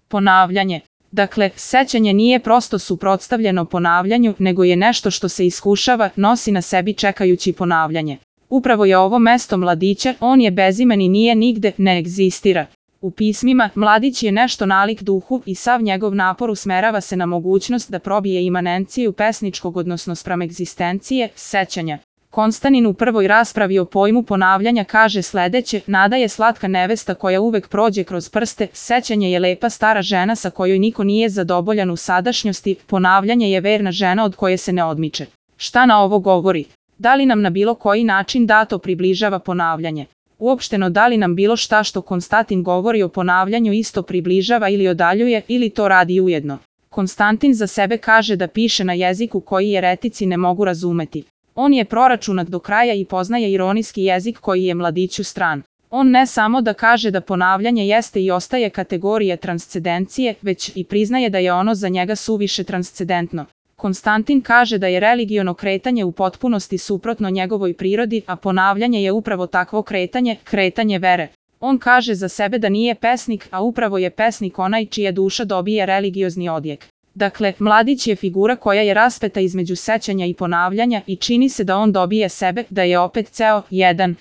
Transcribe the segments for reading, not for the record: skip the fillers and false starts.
Ponavljanje. Dakle, sećanje nije prosto suprotstavljeno ponavljanju, nego je nešto što se iskušava, nosi na sebi čekajući ponavljanje. Upravo je ovo mesto mladića, on je bezimen i nije nigde, ne egzistira. U pismima, mladić je nešto nalik duhu i sav njegov napor usmerava se na mogućnost da probije imanenciju pesničkog odnosno spram egzistencije, sećanja. Konstantin u prvoj raspravi o pojmu ponavljanja kaže sledeće: nada je slatka nevesta koja uvek prođe kroz prste, sećanje je lepa stara žena sa kojoj niko nije zadovoljan u sadašnjosti, ponavljanje je verna žena od koje se ne odmiče. Šta na ovo govori? Da li nam na bilo koji način dato približava ponavljanje? Uopšteno, da li nam bilo šta što Konstantin govori o ponavljanju isto približava ili odaljuje, ili to radi ujedno? Konstantin za sebe kaže da piše na jeziku koji jeretici ne mogu razumeti. On je proračunat do kraja i poznaje ironijski jezik koji je mladiću stran. On ne samo da kaže da ponavljanje jeste i ostaje kategorija transcendencije, već i priznaje da je ono za njega suviše transcendentno. Konstantin kaže da je religiono kretanje u potpunosti suprotno njegovoj prirodi, a ponavljanje je upravo takvo kretanje, kretanje vere. On kaže za sebe da nije pesnik, a upravo je pesnik onaj čija duša dobije religiozni odjek. Dakle, mladić je figura koja je raspeta između sećanja i ponavljanja i čini se da on dobije sebe, da je opet ceo, jedan.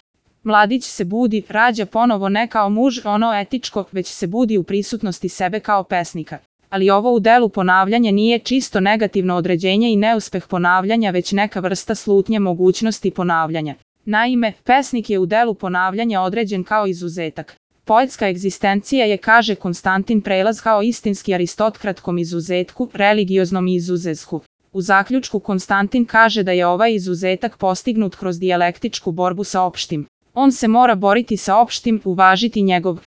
Mladić se budi, rađa ponovo ne kao muž, ono etičko, već se budi u prisutnosti sebe kao pesnika. Ali ovo u delu ponavljanja nije čisto negativno određenje i neuspeh ponavljanja, već neka vrsta slutnje mogućnosti ponavljanja. Naime, pesnik je u delu ponavljanja određen kao izuzetak. Poetska egzistencija je, kaže Konstantin, prelaz kao istinski aristokratkom izuzetku, religioznom izuzesku. U zaključku Konstantin kaže da je ovaj izuzetak postignut kroz dijalektičku borbu sa opštim. On se mora boriti sa opštim, uvažiti njegov